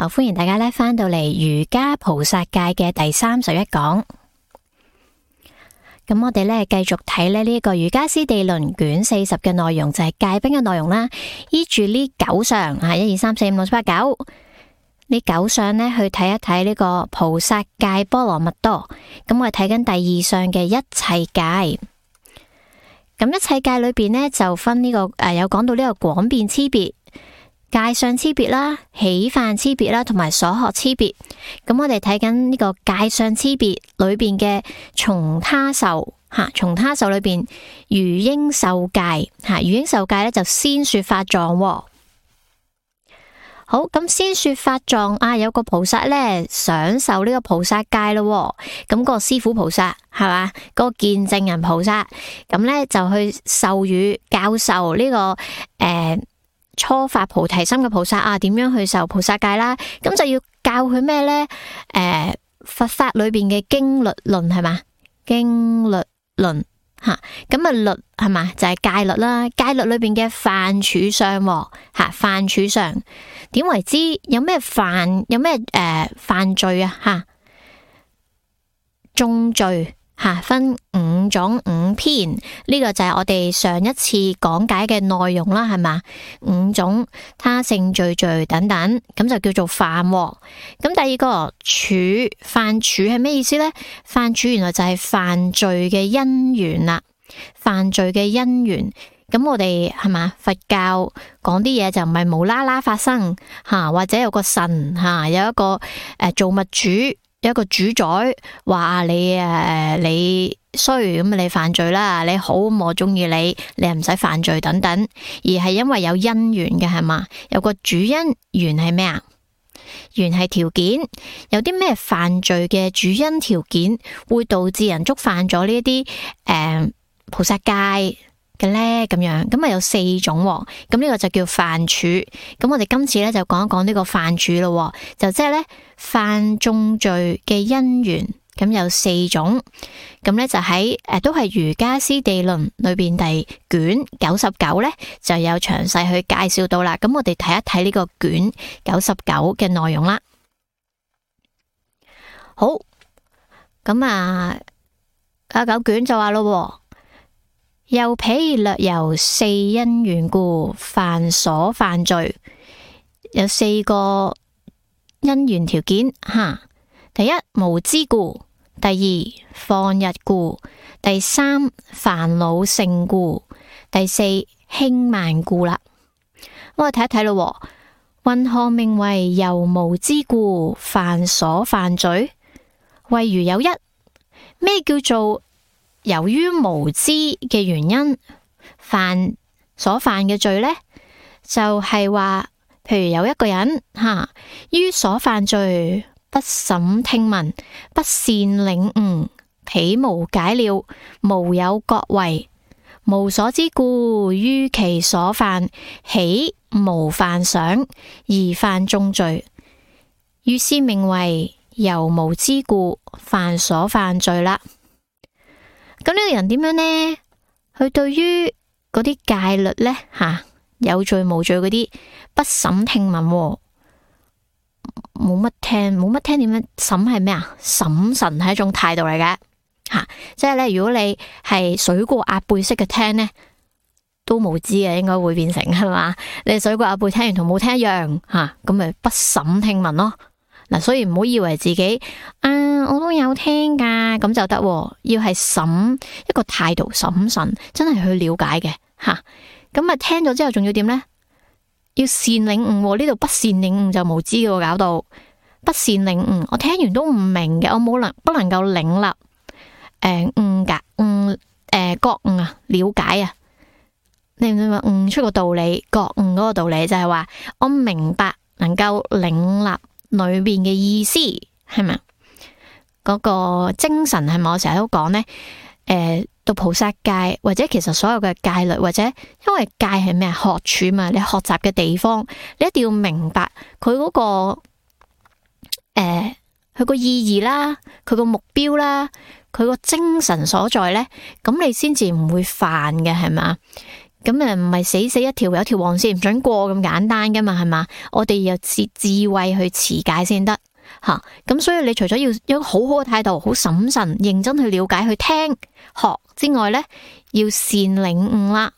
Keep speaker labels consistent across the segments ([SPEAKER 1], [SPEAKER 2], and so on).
[SPEAKER 1] 好，歡迎大家咧翻到嚟瑜伽菩薩戒嘅第31講。咁我哋咧繼續睇咧呢個瑜伽師地論卷40嘅內容，就係戒賓嘅內容啦。依住呢9相1、2、3、4、5、6、7、8、9呢9相咧去睇一睇呢個菩薩戒波羅蜜多。咁我哋睇緊第2相嘅一切戒。咁一切戒裏邊呢，就分呢個有講到呢個廣變差別、戒相差別啦、起犯差別啦，同埋所學差別。咁我哋睇緊呢個戒相差別裏邊嘅從他受從他受裏邊餘應受戒餘應受戒咧就先說法狀。好，咁先說法狀有個菩薩咧想受呢個菩薩戒咯，咁個師父菩薩係嘛，個見證人菩薩咁咧就去授予教授呢個初發菩提心嘅菩薩點樣去受菩薩戒啦，咁就要教佢咩咧？佛法裏邊嘅經律論係嘛，經律論咁律係嘛，就係戒律啦，戒律裏邊嘅犯處相犯處相點為之？有咩犯？有咩犯罪重罪分5種5篇，呢個就係我哋上一次講解嘅內容啦，係嘛？5種他性罪等等，咁就叫做犯。咁第二個犯處係咩意思呢？犯處原來就係犯罪嘅因緣啦，犯罪嘅因緣。咁我哋係嘛？佛教講啲嘢就唔係無啦啦發生或者有個神有一個造物主。有一個主宰話你衰咁你犯罪啦，你好咁我中意你又唔使犯罪等等，而係因為有因緣嘅係嘛，有個主因，緣係咩啊？緣係條件，有啲咩犯罪嘅主因條件會導致人觸犯咗呢一啲菩薩戒嘅咧，咁樣咁有4種，咁呢個就叫犯處。咁我哋今次咧就講一講呢個犯處咯，就即係咧犯眾罪嘅因緣，咁有4種，咁咧就喺都係瑜伽師地論裏邊第卷99咧就有詳細去介紹到啦。咁我哋睇一睇呢個卷99嘅內容啦。好，咁99卷就話咯。又彼略由4因緣故犯所犯罪，有4個因緣條件第一無知故，第2放逸故，第3煩惱盛故，第4輕慢故啦。我哋睇一睇咯，云何名為由無知故犯所犯罪？謂如有一，咩叫做由於無知嘅原因所犯嘅罪呢？就係話，譬如有一個人於所犯罪不審聽聞，不善領悟，彼無解了，無有覺為，無所知故，於其所犯起無犯想而犯眾罪，於是名為由無知故犯所犯罪啦。咁呢個人點樣呢？佢對於嗰啲戒律呢，有罪無罪嗰啲不審聽聞，冇乜聽點樣審係咩啊？審慎係一種態度嚟嘅，即係咧，如果你係水過鴨背式嘅聽呢，都無知嘅，應該會變成係嘛？你水過鴨背聽完同冇聽一樣，咁咪不審聽聞咯。所以唔好以為自己我都有聽噶，咁就得，要係審一個態度審慎，真係去了解嘅咁聽咗之後仲要點呢？要善領悟，呢度不善領悟就無知嘅，搞到不善領悟，我聽完都唔明嘅，我不能夠領納覺悟了解你唔明悟出個道理，覺悟嗰個道理就係話我明白能夠領納裏邊嘅意思係咪？嗰個精神係咪？我成日都講呢，讀菩薩戒或者其實所有嘅戒律，或者因為戒係咩？學處嘛，你學習嘅地方，你一定要明白佢嗰個佢個意義啦，佢個目標啦，佢個精神所在呢，咁你先至唔會犯嘅係嘛？咁唔係死死一條有條黃線唔准過咁簡單噶嘛，係嘛？我哋要智慧去持解先得吓。咁所以你除咗要有一個好好嘅態度，好審慎認真去了解去聽學之外呢，要善領悟啦。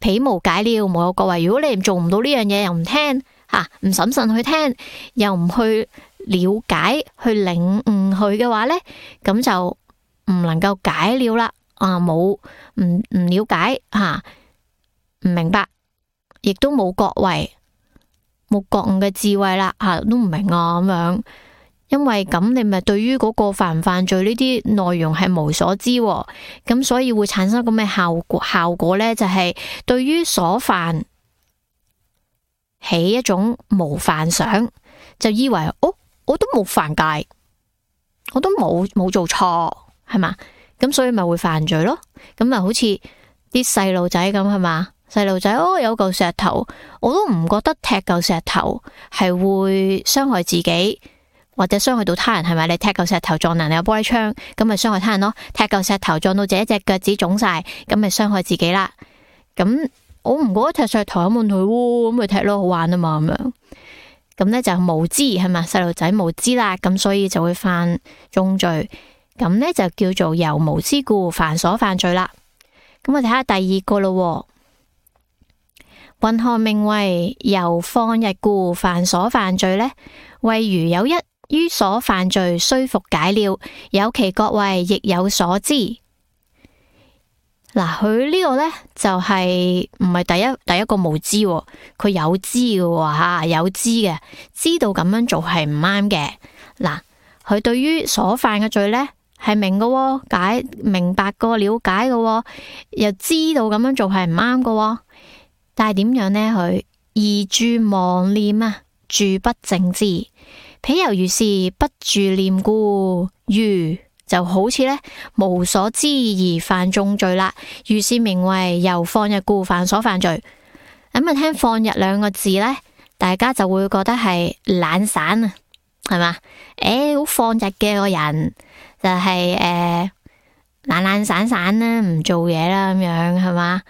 [SPEAKER 1] 彼無解了，無有國位。如果你做唔到呢樣嘢，又唔聽吓，唔審慎去聽，又唔去了解去領悟佢嘅話呢，咁就唔能夠解了啦。冇唔了解吓。唔明白，亦都冇覺位，冇覺悟嘅智慧啦，都唔明啊咁樣。因為咁，你咪對於嗰個犯唔犯罪呢啲內容係無所知，咁所以會產生咁嘅效果呢，就係對於所犯起一種無犯想，就以為我都冇犯戒，我都冇做錯，係嘛？咁所以咪會犯罪咯。咁咪好似啲細路仔咁，係嘛？細路仔有嚿石頭，我都唔覺得踢嚿石頭係會傷害自己或者傷害到他人，係咪？你踢嚿石頭撞人，你有玻璃窗，咁咪傷害他人咯。踢嚿石頭撞到自己隻腳趾腫晒，咁咪傷害自己啦。咁我唔覺得踢石頭有問題，咁咪踢咯，好玩啊嘛咁樣。咁呢就無知，係咪？細路仔無知啦，咁所以就會犯重罪。咁呢就叫做由無知故犯所犯罪啦。咁我睇下第二個咯。云何名為由放逸故犯所犯罪呢？謂如有一於所犯罪雖復解了，有其覺位，亦有所知。嗱，佢呢個呢，就係唔係第一個無知，佢有知嘅吓，有知嘅，知道咁樣做係唔啱嘅。嗱，佢對於所犯嘅罪呢，係明嘅，明白個了解嘅，又知道咁樣做係唔啱嘅。但係點樣呢？佢而住妄念啊，住不正知，譬猶如是不住念故，如就好似呢無所知而犯重罪啦。如是名為由放逸故犯所犯罪。咁啊，聽放逸兩個字呢，大家就會覺得係懶散啊，係嘛？好放逸嘅個人就係懶散散啦，唔做嘢啦，咁樣係嘛？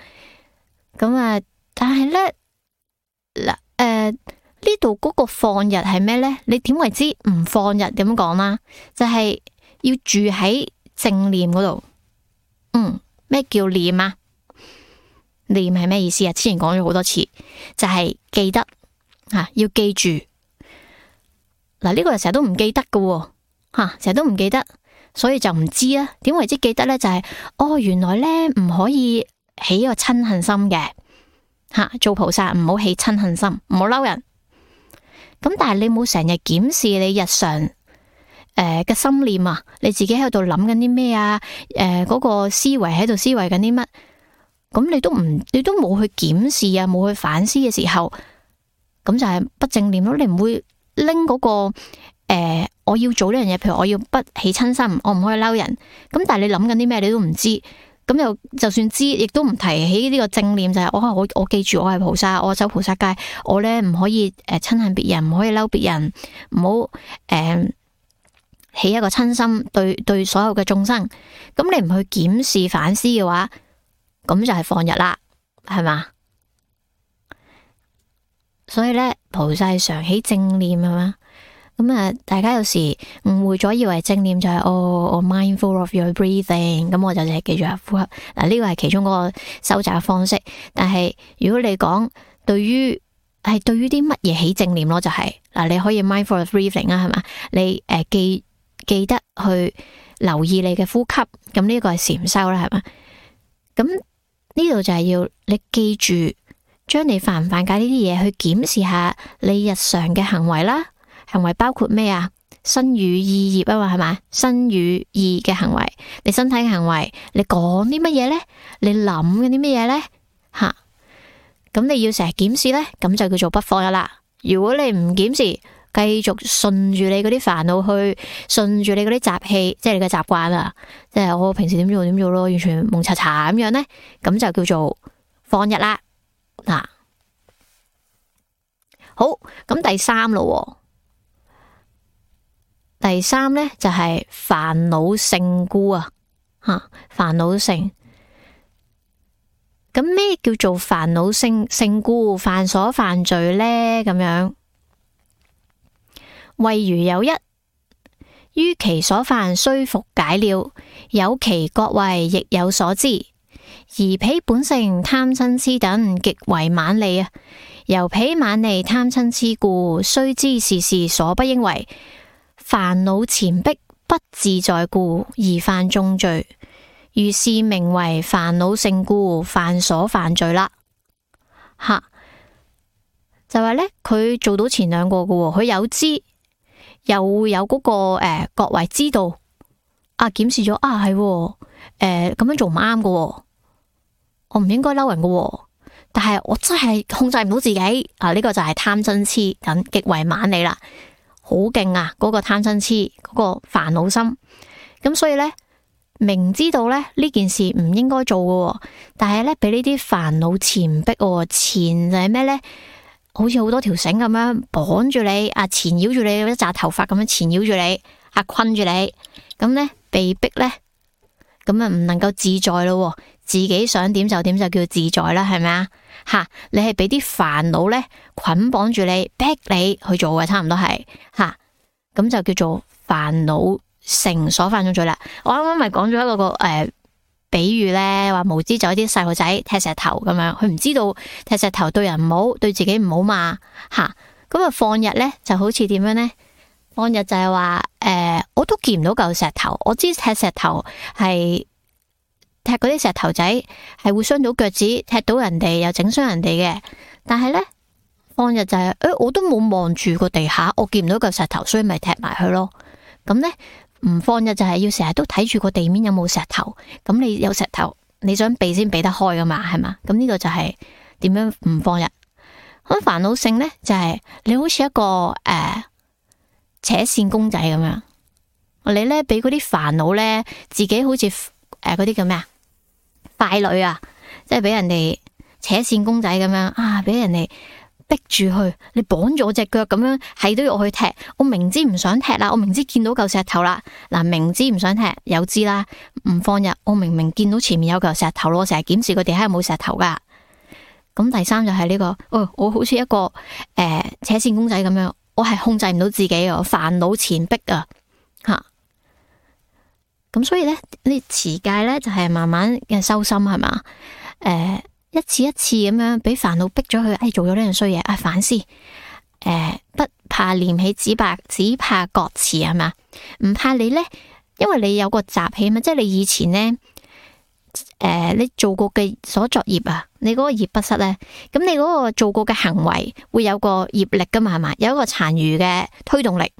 [SPEAKER 1] 咁啊。但係咧，呢度嗰個放逸係咩呢？你點為之唔放逸？點講啦？就係要住喺正念嗰度。咩叫念啊？念係咩意思啊？之前講咗好多次，就係記得要記住。嗱，呢個人成日都唔記得㗎喎，成日都唔記得，所以就唔知啊。點為之記得呢？就係原來呢唔可以起一個嗔恨心嘅。做菩薩唔好起嗔恨心，唔好嬲人。咁但係你冇成日檢視你日常嘅心念啊，你自己喺度諗緊啲咩啊？嗰個思維喺度思維緊啲乜？咁你都冇去檢視啊，冇去反思嘅時候，咁就係不正念咯。你唔會拎嗰個我要做呢樣嘢，譬如我要不起嗔心，我唔可以嬲人。咁但係你諗緊啲咩，你都唔知。咁又就算知，亦都唔提起呢個正念，就係我記住我係菩薩，我走菩薩戒，我呢唔可以嗔恨別人，唔可以嬲別人，唔好起一個嗔心對所有嘅眾生。咁你唔去檢視反思嘅話，咁就係放逸啦，係嘛？所以呢，菩薩常起正念，係嘛？咁大家有時誤會咗，以為正念就係我 mindful of your breathing，咁我就淨係記住下呼吸。嗱，呢個係其中嗰個收集嘅方式。但係如果你講對於啲乜嘢起正念咯，就係你可以 mindful of breathing 啊，係嘛？你記得去留意你嘅呼吸，咁呢個係禪修啦，係嘛？咁呢度就係要你記住，將你犯唔犯戒呢啲嘢去檢視下你日常嘅行為啦。行為包括咩啊？身語意業啊嘛，係咪？身語意嘅行為，你身體嘅行為，你講啲乜嘢呢？你諗緊啲乜嘢呢？咁你要成日檢視呢，咁就叫做不放逸啦。如果你唔檢視，繼續順住你嗰啲煩惱去，順住你嗰啲習氣，即係你嘅習慣啊，即係我平時點做咯，完全蒙查查咁樣呢，咁就叫做放逸啦。好，咁第三咯。第三呢，就係煩惱性故啊，煩惱性。咁咩叫做煩惱勝故，犯所犯罪呢？咁樣，謂如有一，於其所犯雖復解了，有其各位亦有所知，而彼本性貪嗔癡等極為猛利啊！由彼猛利貪嗔癡故，須知是事所不應為，煩惱纏逼不自在故，而犯重罪。如是名為煩惱勝故，犯所犯罪啦。吓，就話呢，佢做到前兩個嘅，佢有知，又有嗰個各位知道啊，檢視咗啊，係咁樣做唔啱嘅，我唔應該嬲人嘅，但係我真係控制唔到自己啊！呢個就係貪嗔癡等極為猛利啦，好勁啊！嗰個貪嗔癡嗰個煩惱心，咁所以呢，明知道咧呢件事唔應該做嘅，但係咧俾呢啲煩惱纏逼，纏就係咩呢？好似好多條繩咁樣綁住你，啊纏繞住你，一紮頭髮咁樣纏繞住你，啊困住你，咁呢，被逼呢，咁啊唔能夠自在咯，自己想點就點就叫自在啦，係咪啊？吓，你係俾啲煩惱呢捆綁住你，逼你去做嘅，差唔多係吓，咁就叫做煩惱成所犯咗罪啦。我啱啱咪講咗一個比喻咧，話無知就啲細路仔踢石頭咁樣，佢唔知道踢石頭對人唔好，對自己唔好嘛吓。咁啊放日咧就好似點樣呢？放日就係話我都見唔到嚿石頭，我知踢石頭係踢嗰啲石頭仔係會傷到腳趾，踢到人哋又整傷人哋嘅。但係咧放日就係我都冇望住個地下，我見唔到嚿石頭，所以咪踢埋佢咯。咁咧。唔放日就係要成日都睇住個地面有冇石頭，咁你有石頭，你想避先避得開噶嘛，係嘛？咁呢個就係點樣唔放日。咁煩惱勝呢，就係你好似一個扯線公仔咁樣，你呢俾嗰啲煩惱呢，自己好似嗰啲叫咩啊？傀儡啊，即係俾人哋扯線公仔咁樣啊，俾人哋。逼住去，你綁住我隻腳咁樣，係都要我去踢。我明知唔想踢啦，我明知見到嚿石頭啦，嗱，明知唔想踢，有知啦，唔放日。我明明見到前面有嚿石頭咯，我成日檢視個地下有冇石頭噶。咁第三就係呢個，我好似一個扯線公仔咁樣，我係控制唔到自己啊，煩惱纏逼啊，吓。咁所以咧，呢持戒咧就係慢慢嘅修心係嘛，一次一次咁樣俾煩惱逼咗佢，做咗呢樣衰嘢，反思，不怕念起，只怕覺遲係嘛，唔怕你呢，因為你有個習氣嘛，即係你以前呢，你做過嘅所作業啊，你嗰個業不失呢，咁你嗰個做過嘅行為會有個業力噶嘛，係嘛，有一個殘餘嘅推動力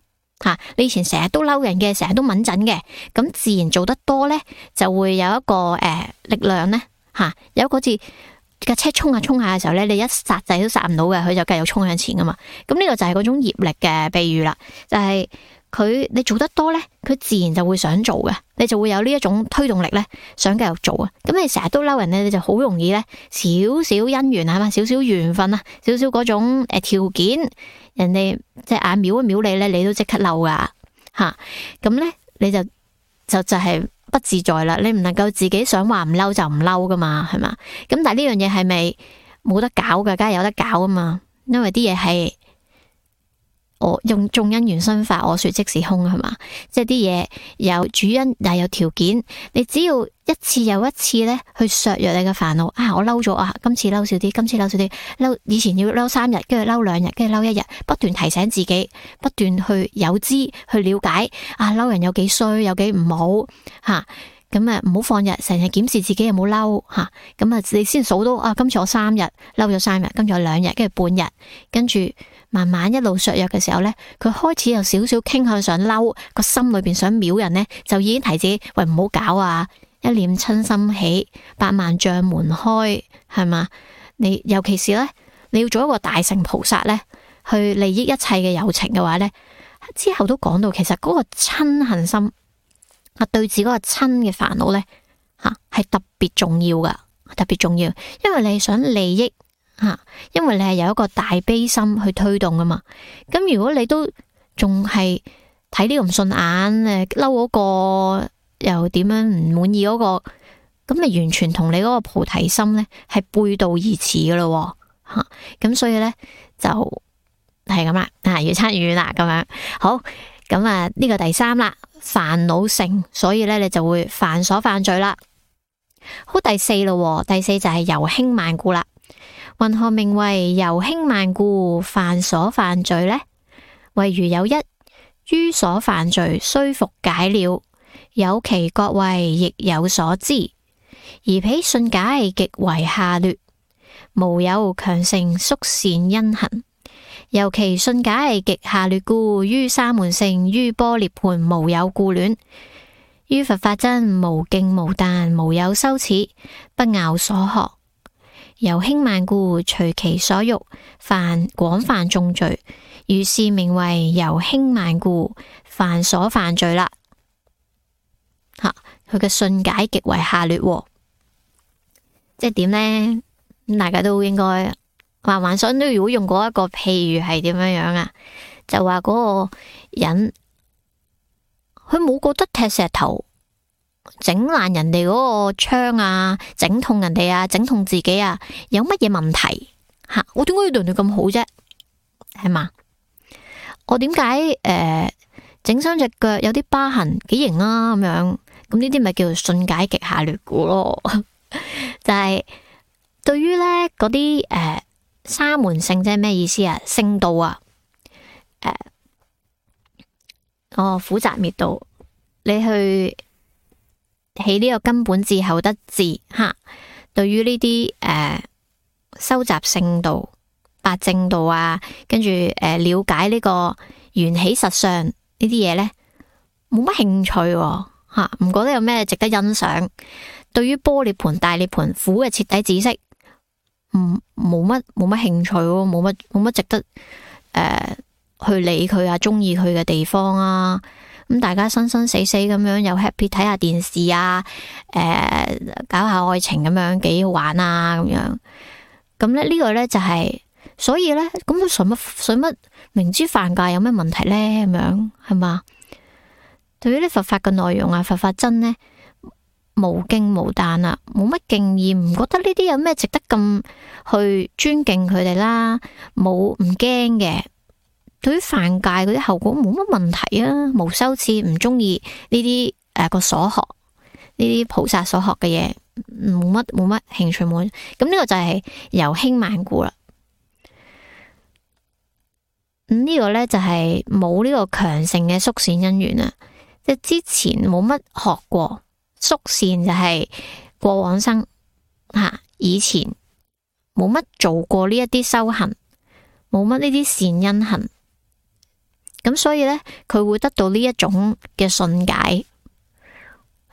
[SPEAKER 1] 吓，你以前成日都嬲人嘅，成日都敏陣嘅，咁自然做得多呢，就會有一個力量呢，吓，有嗰次。架車衝下衝下嘅時候咧，你一剎掣都剎唔到嘅，佢就繼續衝向前噶嘛。咁呢個就係嗰種業力嘅比喻啦，就係你做得多咧，佢自然就會想做嘅，你就會有呢一種推動力咧，想繼續做啊。咁你成日都嬲人咧，你就好容易咧，少少姻緣啊嘛，少少緣分啊，少少嗰種條件，人哋隻眼瞄一瞄你咧，你都即刻嬲噶吓。咁咧你就係。不自在啦，你唔能夠自己想話唔嬲就唔嬲噶嘛，係嘛？咁但係呢樣嘢係咪冇得搞噶？梗係有得搞啊嘛，因為啲嘢係我用眾因緣生法，我說即是空係嘛？即係啲嘢有主因又有條件，你只要一次又一次咧去削弱你嘅煩惱啊！我嬲咗啊，今次嬲少啲，今次嬲少啲，嬲以前要嬲3日，跟住嬲2日，跟住嬲1日，不斷提醒自己，不斷去有知去了解啊，嬲人有幾衰，有幾唔好吓，咁啊唔好放日，成日檢視自己有冇嬲吓，咁啊你先數到啊，今次我3日嬲咗3日，跟住我2日，跟住半日，跟住慢慢一路削弱嘅時候咧，佢開始有少少傾向想嬲，個心裏邊想秒人咧，就已經提自己喂唔好搞啊！一念親心起，8萬障門開，係嘛？你尤其是咧，你要做一個大乘菩薩咧，去利益一切嘅有情嘅話咧，之後都講到，其實嗰個親恨心啊，對治嗰個親嘅煩惱咧，吓係特別重要噶，特別重要，因為你係想利益吓，因為你係有一個大悲心去推動噶嘛。咁如果你都仲係睇呢個唔順眼，嬲嗰個。又點樣唔滿意嗰個，咁你完全同你嗰個菩提心呢係背道而馳噶咯吓。咁所以呢，就係咁啦，越差越遠啦咁樣。好，咁呢個第三啦，煩惱盛，所以呢，你就會犯所犯罪啦。好，第四咯，第四就係由輕慢故啦。云何名為由輕慢故犯所犯罪呢？謂如有一，於所犯罪雖復解了，有其國位亦有所知，而彼信解極為下劣，無有強盛宿善因行。由其信解極下劣故，於沙門性，於般涅槃無有顧戀，於佛法真無敬無但，無有羞恥，不拗所學。由輕慢故，隨其所欲，犯廣泛重罪，如是名為由輕慢故犯所犯罪啦。佢嘅信解極為下劣，即係點呢？大家都應該幻想都如果用過一個譬如係點樣樣啊？就話嗰個人，佢冇覺得踢石頭整爛人哋嗰個窗啊，整痛人哋啊，整痛自己啊，有乜嘢問題吓？我點解要對你咁好啫？係嘛？我點解整傷隻腳有啲疤痕幾型啊？咁樣咁呢啲咪叫做信解極下劣故咯？就係對於呢嗰啲沙門性即係咩意思啊？聖道啊，苦集滅道，你去起呢個根本智後得智吓。對於呢啲收集聖道、八正道啊，跟住了解呢個緣起實相呢啲嘢呢，冇乜興趣吓，唔覺得有咩值得欣賞。對於般涅槃、大涅槃苦嘅徹底知識，冇乜興趣，冇乜值得去理佢啊，中意佢嘅地方啊。咁大家生生死死咁樣又 happy 睇下電視啊，搞下愛情咁樣幾好玩啊咁樣。咁咧呢個呢就係，所以呢，咁佢使乜明知犯戒有咩問題呢？咁樣係嘛？對於啲佛法嘅內容啊，佛法真呢，無敬無但啊，冇乜敬意，唔覺得呢啲有咩值得咁去尊敬佢哋啦，唔驚嘅。對於犯戒嗰啲後果冇乜問題啊，無羞恥，唔中意呢啲個所學呢啲菩薩所學嘅嘢，冇乜興趣冇。咁呢個就係由輕慢故啦。呢個呢，就係冇呢個強盛嘅宿善因緣啊，即係之前冇乜學過宿善，就係過往生以前冇乜做過呢一啲修行，冇乜呢啲善因行。咁所以呢，佢會得到呢一種嘅信解，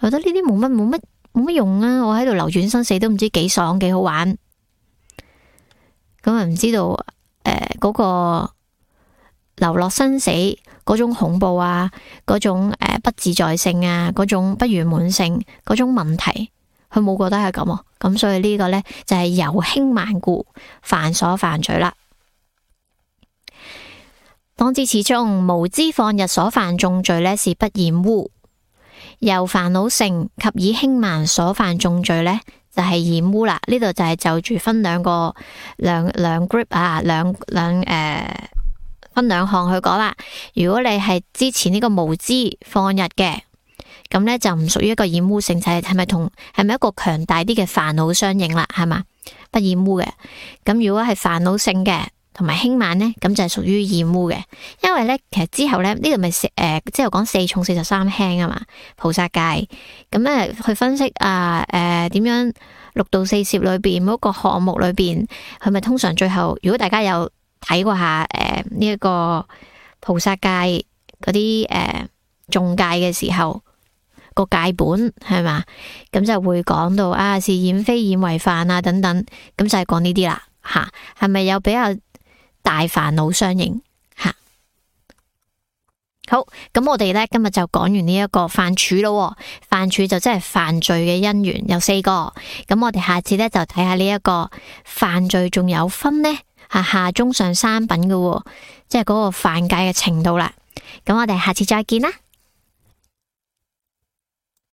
[SPEAKER 1] 覺得呢啲冇乜用啊！我喺度流轉生死都唔知幾爽幾好玩，咁啊唔知道嗰個流落生死嗰種恐怖啊，嗰種不自在性啊，嗰種不圓滿性嗰種問題，佢冇覺得係咁啊！咁所以呢個呢，就係由輕慢故犯所犯罪啦。當知此中無知放逸所犯眾罪呢，是不染污；由煩惱盛及以輕慢所犯眾罪呢，就係染污啦。呢度就係就住分兩 group 啊，分兩項去講啦。如果你係之前呢個無知放逸嘅，咁呢就唔屬於一個染污性，就係咪一個強大啲嘅煩惱相應啦？係嘛，不染污嘅。咁如果係煩惱性嘅，同埋輕慢呢，咁就係屬於染污嘅。因為呢，其實之後呢，呢度咪之後講4重43輕啊嘛，菩薩戒。咁呢去分析點樣六度四攝裏邊嗰個項目裏邊，係咪通常最後，如果大家有睇過下呢一個菩薩戒嗰啲誦戒嘅時候，個戒本係嘛，咁就會講到是染非染為犯啊等等，咁就係講呢啲啦吓，係咪有比較大煩惱相應吓？好，咁我哋呢今日就講完呢一個犯處咯。犯處就即係犯罪嘅因緣有4個，咁我哋下次呢就睇下呢一個犯罪仲有分呢下中上3品嘅，即係嗰個犯戒嘅程度啦。咁我哋下次再見啦。